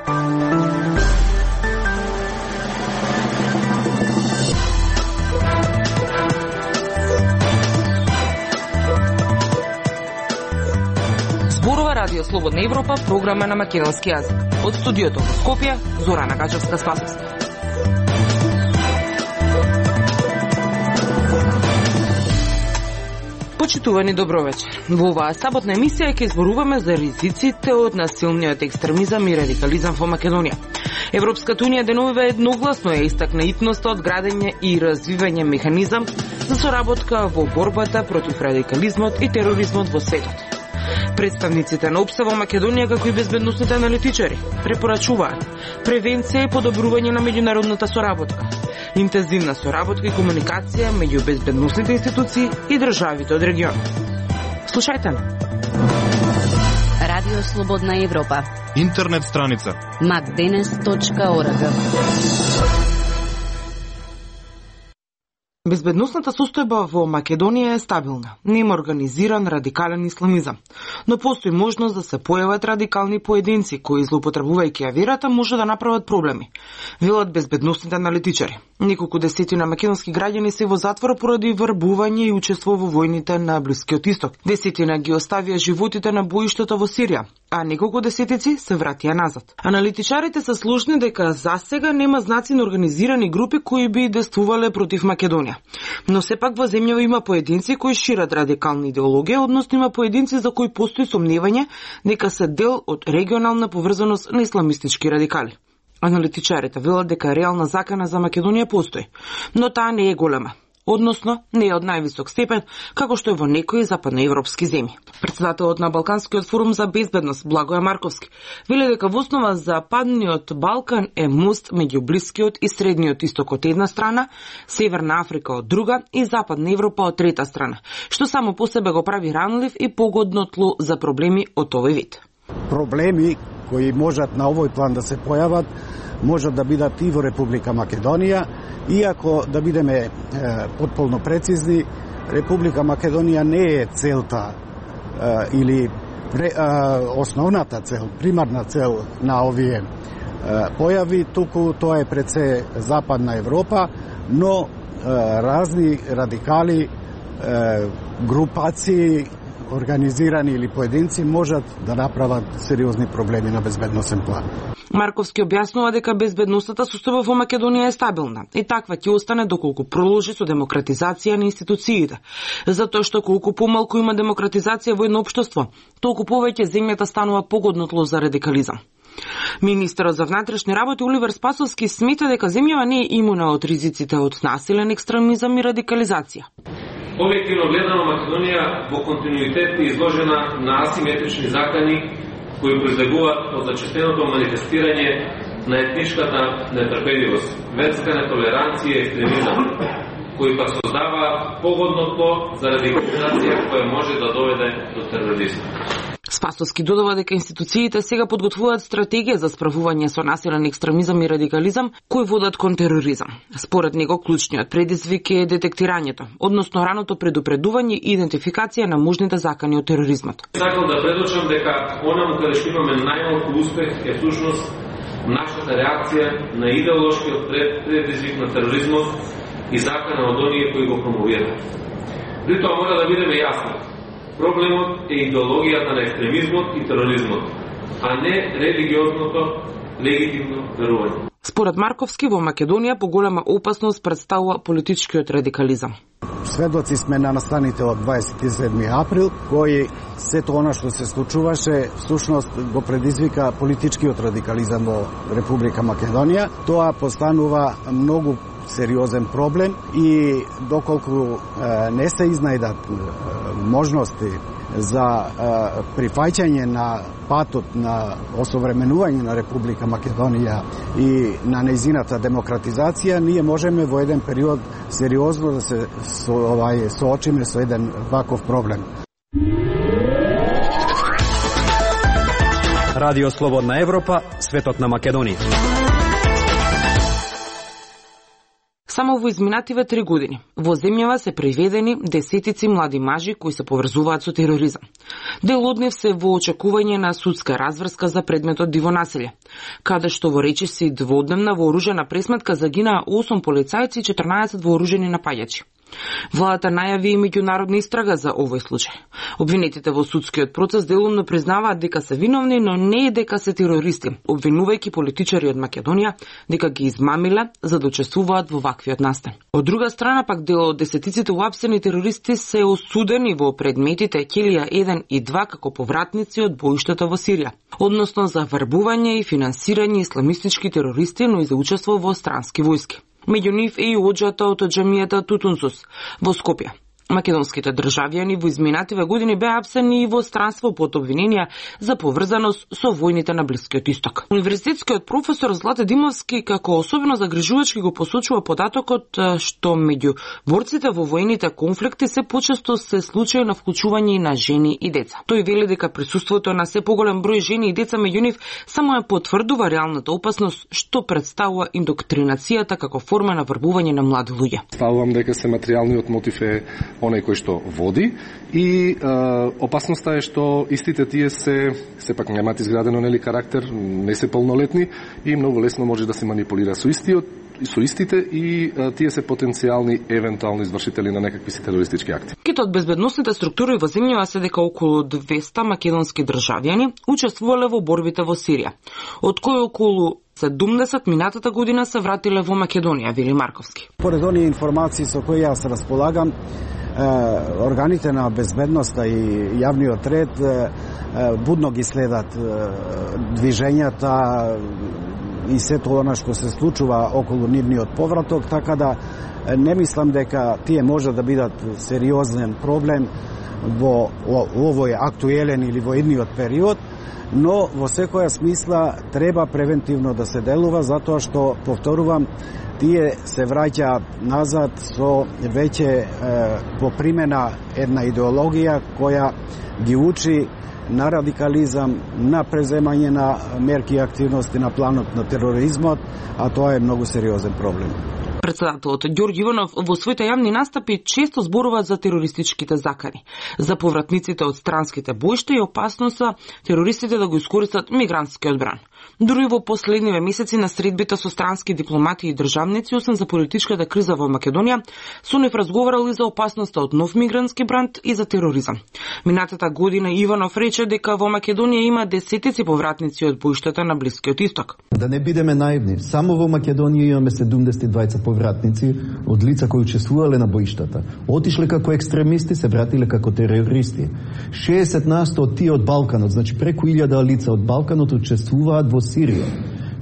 Радио Слободна Европа, програма на македонски јазик. Од студиото во Скопје, Зорана Гачевска-Спасовска. Почитувани, добро вечер. Во оваа саботна емисија ќе зборуваме за ризиците од насилниот екстремизам и радикализам во Македонија. Европската унија деновиве едногласно ја истакна итноста од градење и развивање механизам за соработка во борбата против радикализмот и тероризмот во светот. Представниците на ОПСЕ во Македонија, како и безбедносните аналитичари, препорачуваат превенција и подобрување на меѓународната соработка, интензивна соработка и комуникација меѓу безбедносните институции и државите од регионот. Слушајте на Радио Слободна Европа. Интернет страница macdenes.org. Безбедносната состојба во Македонија е стабилна. Нема организиран радикален исламизам, но постои можност да се појават радикални поединци кои, злоупотребувајќи ја верата, може да направат проблеми, велат безбедносните аналитичари. Неколку десетина македонски граѓани се во затвор поради врбување и учество во војните на Блискиот Исток. Десетина ги оставија животите на боиштето во Сирија, а неколку десетици се вратија назад. Аналитичарите се сложни дека засега нема знаци на организирани групи кои би действувале против Македонија. Но сепак во земјава има поединци кои шират радикална идеологија, односно има поединци за кои постои сомневање дека се дел од регионална поврзаност на исламистички радикали. Аналитичарите велат дека реална закана за Македонија постои, но таа не е голема. Односно, не е од највисок степен, како што е во некои западноевропски земји. Председателот на Балканскиот форум за безбедност, Благоје Марковски, вели дека во основа за Западниот Балкан е мост меѓу Блискиот и Средниот Исток од една страна, Северна Африка од друга и Западна Европа од трета страна, што само по себе го прави ранлив и погодно тло за проблеми од овој вид. Проблеми кои можат на овој план да се појават, можат да бидат и во Република Македонија, иако да бидеме потполно прецизни, Република Македонија не е целта или основната цел, примарна цел на овие појави, туку тоа е пред се Западна Европа, но разни радикали, групации, организирани или поединци можат да направат сериозни проблеми на безбедносен план. Марковски објаснува дека безбедносната состојба во Македонија е стабилна и таква ќе остане доколку проложи со демократизација на институциите. Затоа што колку помалку има демократизација во едно општество, толку повеќе земјата станува погодно тло за радикализам. Министерот за внатрешни работи Оливер Спасовски смета дека земјава не е имуна од ризиците од насилен екстремизам и радикализација. Објективно гледано, Македонија во континуитет е изложена на асиметрични закани кои произлегуваат од зачестеното манифестирање на етничката нетрпеливост, верска нетолеранција и екстремизам, кои пак создаваат погодно тло за радикализација која може да доведе до тероризм. Спасовски додава дека институциите сега подготвуваат стратегија за справување со насилен екстремизам и радикализам кои водат кон тероризам. Според него клучниот предизвик е детектирањето, односно раното предупредување и идентификација на можните закани од тероризмот. Сакам да предочам дека онаму каде што имаме најмалку успех е всушност нашата реакција на идеолошкиот предизвик на тероризмот и закана од оние кои го промовираат. При тоа мора да бидеме јасни. Проблемот е идеологијата на екстремизмот и тероризмот, а не религиозното легитимно верување. Според Марковски, во Македонија поголема опасност представува политичкиот радикализам. Сведоци сме на настаните од 27. април, кој сето она што се случуваше, всушност го предизвика политичкиот радикализам во Република Македонија. Тоа постанува многу сериозен проблем и доколку не се изнајдат можности за прифаќање на патот на осовременување на Република Македонија и на нејзината демократизација, ние можеме во еден период сериозно да се соочиме со еден ваков проблем. Радио Слободна Европа, светот на Македонија. Само во изминативе 3 години во земјава се приведени десетици млади мажи кои се поврзуваат со тероризам. Дел од нив се во очекување на судска разврска за предметот диво населје, каде што во речиси дводневна вооружена пресметка загинаа 8 полицајци и 14 вооружени напаѓачи. Владата најави и меѓународна истрага за овој случај. Обвинетите во судскиот процес делумно признаваат дека се виновни, но не и дека се терористи, обвинувајќи политичари од Македонија дека ги измамиле за да учествуваат во ваквиот настан. Од друга страна пак дел од десетиците уапсени терористи се осудени во предметите Келија 1 и 2 како повратници од боиштата во Сирија, односно за вербување и финансирање исламистички терористи, но и за учество во странски војски. Меѓу нив е и оџата од џамијата Тутунсус во Скопје. Македонските државјани во изминативе години беа апсени и во странство под обвиненија за поврзаност со војните на Блискиот Исток. Универзитетскиот професор Злате Димовски како особено загрижувачки го посочува податокот што меѓу борците во војните конфликти се почесто се случаи на вклучување на жени и деца. Тој вели дека присуството на се поголем број жени и деца меѓу нив само ја потврдува реалната опасност што представува индоктринацијата како форма на врбување на млади луѓе. Ставувам дека се материјалниот мотив е оној кој што води и опасноста е што истите тие се сепак немаат изградено карактер, не се полнолетни и многу лесно може да се манипулира со истите и тие се потенцијални евентуални извршители на некакви терористички акти. Китот безбедносните структури во земјава се дека околу 200 македонски државјани учествувале во борбите во Сирија, од кои околу 70 минатата година се вратиле во Македонија, вели Марковски. Поред оние информации со кои јас располагам, органите на безбедноста и јавниот ред будно ги следат движењата и сето она што се случува околу нивниот повраток, така да не мислам дека тие може да бидат сериозен проблем во овој актуелен или во едниот период, но во секоја смисла треба превентивно да се делува, затоа што, повторувам, тие се враќаат назад со веќе попримена една идеологија која ги учи на радикализам, на преземање на мерки и активности на планот на тероризмот, а тоа е многу сериозен проблем. Председателот Ѓорѓе Иванов во своите јавни настапи често зборува за терористичките закани, за повратниците од странските боишта и опасноста терористите да го искористат мигрантскиот бран. Дури во последниве месеци на средбите со странски дипломати и државници, освен за политичката криза во Македонија, со нив разговарали за опасноста од нов мигрантски бранд и за тероризам. Минатата година Иванов рече дека во Македонија има десетици повратници од боиштата на Блискиот Исток. Да не бидеме наивни, само во Македонија имаме 72 повратници од лица кои учествувале на боиштата. Отишле како екстремисти, се вратиле како терористи. 60% од тие од Балканот, значи преку 1000 лица од Балканот учествуваат во Сирија.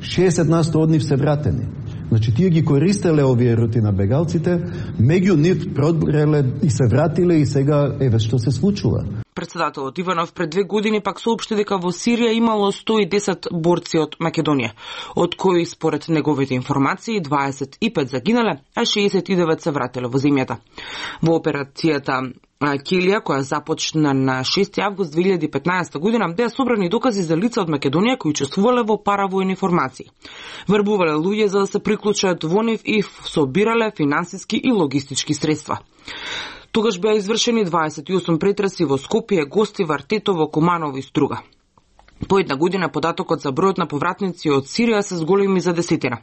60% од нив се вратени. Значи тие ги користеле овие рути на бегалците, меѓу нив пробреле и се вратиле и сега еве што се случува. Председателот Иванов пред 2 години пак соопшти дека во Сирија имало 110 борци од Македонија, од кои според неговите информации 25 загинале, а 69 се вратиле во земјата. Во операцијата Келија, која започна на 6 август 2015 година, беа собрани докази за лица од Македонија кои учествувале во паравојни формации. Вербувале луѓе за да се приклучат во нив и собирале финансиски и логистички средства. Тогаш беа извршени 28 претреси во Скопје, Гостивар, Тетово, Куманово и Струга. По една година податокот за бројот на повратници од Сирија се зголеми за десетина.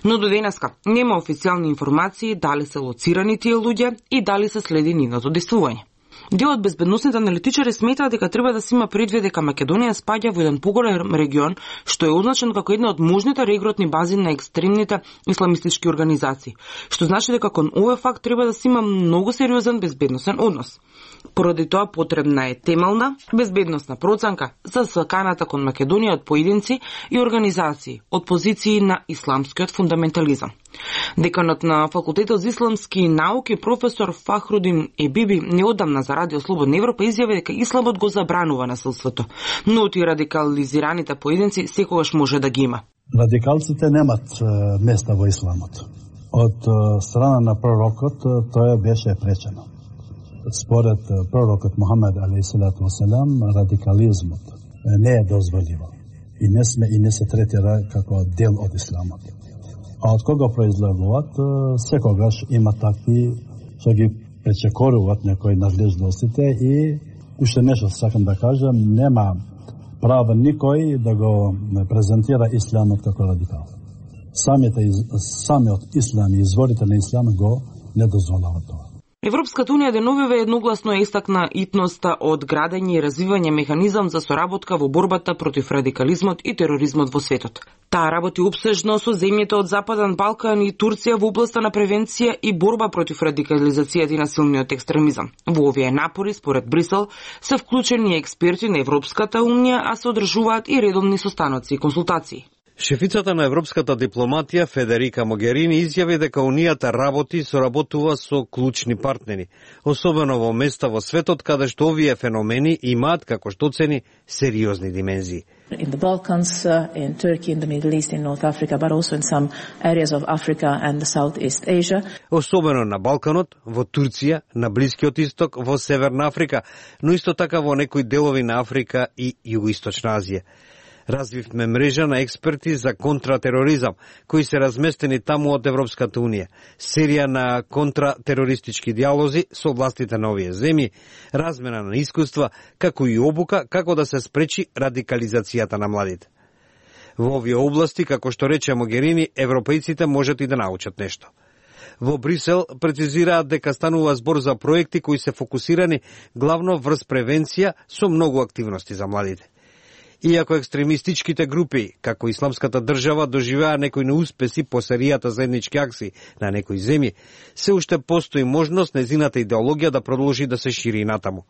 Но до денеска нема официјални информации дали се лоцирани тие луѓе и дали се следи нивното действување. Дел од безбедносните аналитичари сметаат дека треба да се има предвид дека Македонија спаѓа во еден поголем регион што е означен како една од можните регрутни бази на екстремните исламистички организации, што значи дека кон овој факт треба да се има многу сериозен безбедносен однос. Поради тоа потребна е темелна безбедносна проценка за саканата кон Македонија од поединци и организации од позиции на исламскиот фундаментализам. Деканот на Факултетот за исламски науки професор Фахрудин Ебиби неодамна за Радио Слободна Европа изјави дека исламот го забранува насилството, но тие радикализираните поединци секогаш може да ги има. Радикалците немат места во исламот. Од страна на пророкот тоа беше пречено. Според пророкот Мухамед алейхиссалату васелам, радикализмот не е дозволиво и не се третира како дел од исламот. А од кога произлегуваат, секогаш има такви што ги пречекоруваат некои надлежностите и уште нешто сакам да кажам, нема право никој да го презентира исламот како радикал. Самиот ислам и изворите на исламот го не дозволава тоа. Европската унија деновиве едногласно истакна итноста од градење и развивање механизам за соработка во борбата против радикализмот и тероризмот во светот. Таа работи опсежно со земјите од Западен Балкан и Турција во областа на превенција и борба против радикализацијата и насилниот екстремизам. Во овие напори, според Брисел, се вклучени експерти на Европската унија, а се одржуваат и редовни состаноци и консултации. Шефицата на европската дипломатија Федерика Могерини изјави дека Унијата работи и соработува со клучни партнери, особено во места во светот каде што овие феномени имаат, како што оцени, сериозни димензии. In the Balkans, in Turkey, in the Middle East, in North Africa, but also in some areas of Africa and the Southeast Asia. Особено на Балканот, во Турција, на Блискиот Исток, во Северна Африка, но исто така во некои делови на Африка и Југоисточна Азија. Развивме мрежа на експерти за контратероризам, кои се разместени таму од Европската Унија, серија на контратерористички диалози со властите на овие земји, размена на искуства, како и обука како да се спречи радикализацијата на младите. Во овие области, како што рече Могерини, европејците можат и да научат нешто. Во Брисел прецизираат дека станува збор за проекти кои се фокусирани главно врз превенција со многу активности за младите. Иако екстремистичките групи, како Исламската држава, доживеа некои неуспеси по серијата заеднички акции на некои земји, се уште постои можност незината идеологија да продолжи да се шири натаму.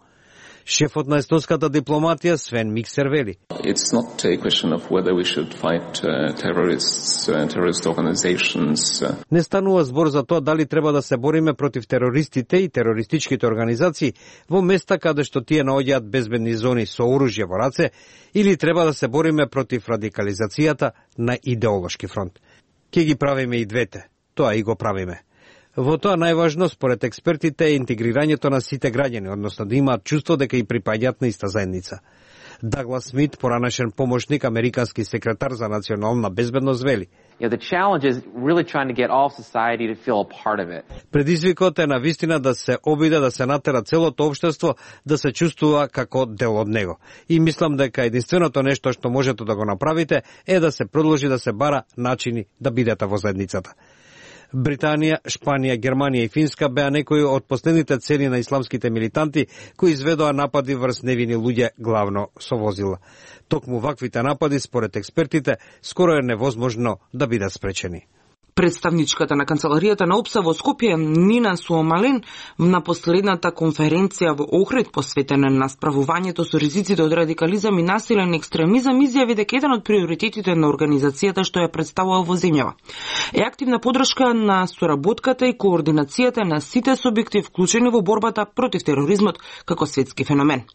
Шефот на естонската дипломатија Свен Миксер вели: It's not a question of whether we should fight terrorist organizations. Не станува збор за тоа дали треба да се бориме против терористите и терористичките организации во места каде што тие наоѓаат безбедни зони со оружје во раце, или треба да се бориме против радикализацијата на идеолошки фронт. Ке ги правиме и двете. Тоа и го правиме. Во тоа најважно, според експертите, е интегрирањето на сите граѓани, односно да имаат чувство дека и припаѓаат на иста заедница. Даглас Смит, поранешен помошник американски секретар за национална безбедност, вели: Предизвикот е навистина да се обиде да се натера целото општество да се чувствува како дел од него. И мислам дека единственото нешто што можете да го направите е да се продолжи да се бара начини да бидете во заедницата. Британија, Шпанија, Германија и Финска беа некои од последните цели на исламските милитанти кои изведоа напади врз невини луѓе главно со возила. Токму ваквите напади, според експертите, скоро е невозможно да бидат спречени. Представничката на канцеларијата на ОПСА во Скопје, Нина Суомален, на последната конференција во Охрид посветена на справувањето со ризиците од радикализам и насилен екстремизам, изјави дека еден од приоритетите на организацијата што ја представува во земјава е активна поддршка на соработката и координацијата на сите субјекти вклучени во борбата против тероризмот како светски феномен.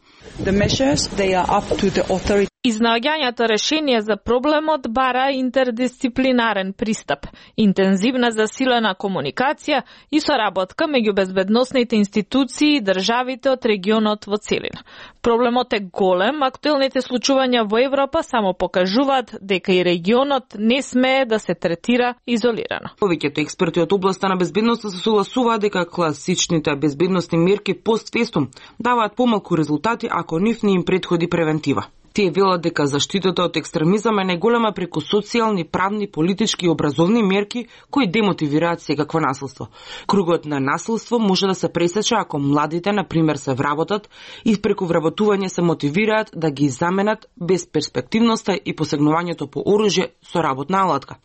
Изнаоѓањето решение за проблемот бара интердисциплинарен пристап, интензивна засилена комуникација и соработка меѓу безбедносните институции и државите од регионот во целина. Проблемот е голем, актуелните случувања во Европа само покажуваат дека и регионот не смее да се третира изолирано. Повеќето експерти од областа на безбедноста се согласуваат дека класичните безбедносни мерки постфестум даваат помалку резултати ако нив не им претходи превентива. Тие велат дека заштитата од екстремизам е најголема преку социјални, правни, политички и образовни мерки кои демотивираат секакво насилство. Кругот на насилство може да се пресече ако младите, например, се вработат и преку вработување се мотивираат да ги заменат безперспективноста и посегнувањето по оружје со работна алатка.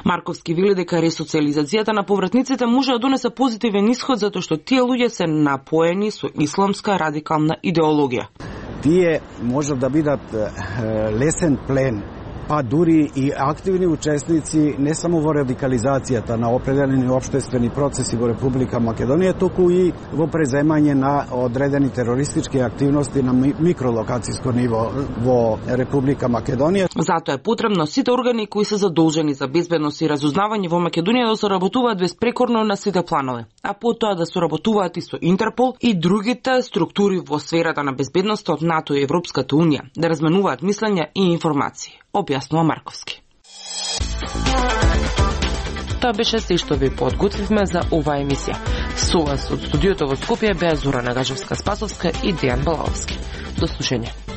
Марковски вели дека ресоциализацијата на повратниците може да донесе позитивен исход затоа што тие луѓе се напоени со исламска радикална идеологија. Тие може да бидат лесен плен, па дури и активни учесници не само во радикализацијата на определени општествени процеси во Република Македонија, туку и во преземање на одредени терористички активности на микролокацијско ниво во Република Македонија. Затоа е потребно сите органи кои се задолжени за безбедност и разузнавање во Македонија да соработуваат безпрекорно на сите планове, а потоа да соработуваат и со Интерпол и другите структури во сферата на безбедноста од НАТО и Европската Унија, да разменуваат мислења и информации, објаснува Марковски. Тоа беше се што ви подготвивме за оваа емисија. Со вас од студиото во Скопје беа Зора Нагажевска-Спасовска и Дејан Балаовски. До слушање.